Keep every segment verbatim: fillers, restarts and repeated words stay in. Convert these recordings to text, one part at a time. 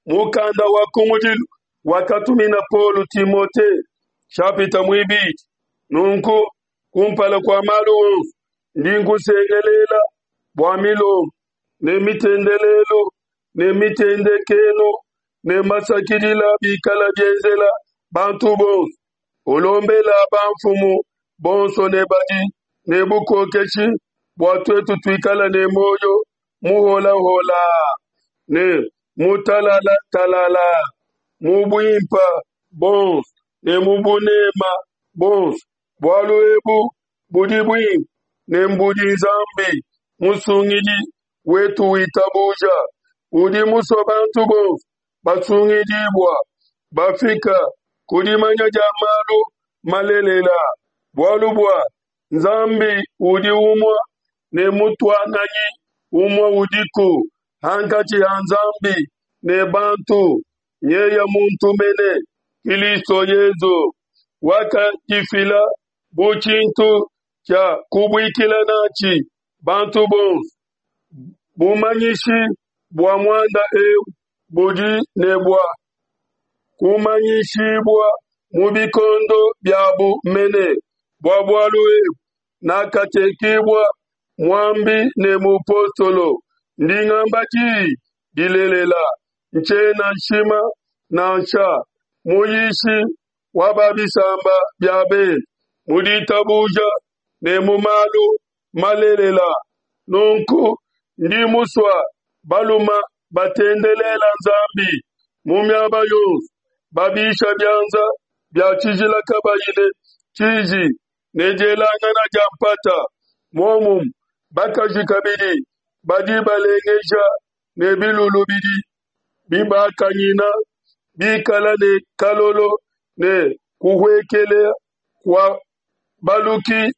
Mukanda wa kumudilu wakatumina Paulo Timote, nshapita muibidi. Nunku, kumpala kua malu onso, ndi nkusengelela bua milombu ne mitendelelu ne mitendekenu ne masakidila bikala bienzela bantu bonso. Ulombela bamfumu bonso ne badi ne bukokeshi, bua tuetu tuikale ne muoyo muholahola ne mutalala talala, mu buimpe buonso ne mu buneme buonso. Bualu ebu budi buimpe ne mbudi Nzambi Musungidi wetu witabuja. Udi musue bantu bonso basungidibua, bafika ku dimanya dia malu malelela. Bualu bua Nzambi udi umue ne mutuanganyi umue udiku hankatshi ha Nzambi ne bantu, nyeye muntu mene, Kilisto Yesu, wakadifila bu tshintu tshia kubuikila natshi bantu bonso. Bumanyishi bua muanda eu budi ne bua kumanyishibua mu bikondo biabu mene. Bua bualu ebu nakatekibua muambi ne mupostolo. Ndi ngamba diyi dilelela, ntshiena nshima nansha, muyishi wa ba bisamba bia bende mu ditabuja ne mu malu malelela. Nunku ndi musue balume batendelela Nzambi mu miaba yonso, babisha bianza bia tshijila kabayi ne tshiji ne dielangana dia mpata. Muomumue bakaji kabidi badilengeja ne bilulu bidi bibakanyina, bikala ne kalolo ne kuhuekela kua baluki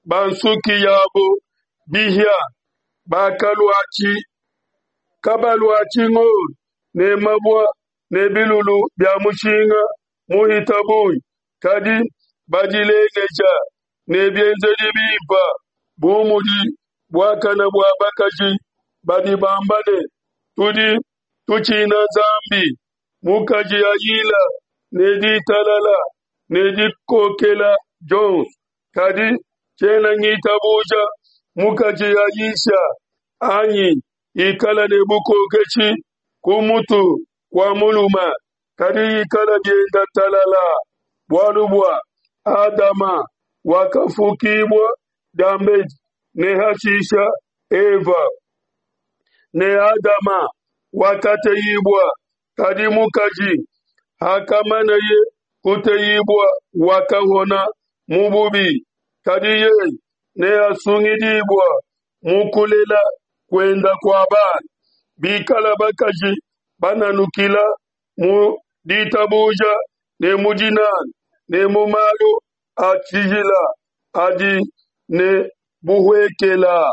ba nsuki yabo bihia, kabaluatshi ngolo ne mabue ne bilulu bia mushinga muhita bungi, kadi badilengeja ne bienzedi bimpe, bu mudi buakane bua bakaji badi bamba ne, Tudi tutshina Nzambi. Mukaji ayila ne ditalala ne dikokela dionso, kadi tshiena ngitabuja mukaji ayisha anyi ikala ne bukokeshi ku mutu kua mulume, kadi ikala bienda talala. Bualu bua Adama wakafukibua diambedi, ne hashisha Eva. Ne Adama wakateyibua, kadi mukaji, hakamaneye kuteyibua, wakahona mu bubi. Kadi yeye neasungidibua mu kulela kuenda kua bana, bikala bakaji bananukila mu ditabuja ne mu dinanga ne mu malu a tshijila adi ne buhuekela.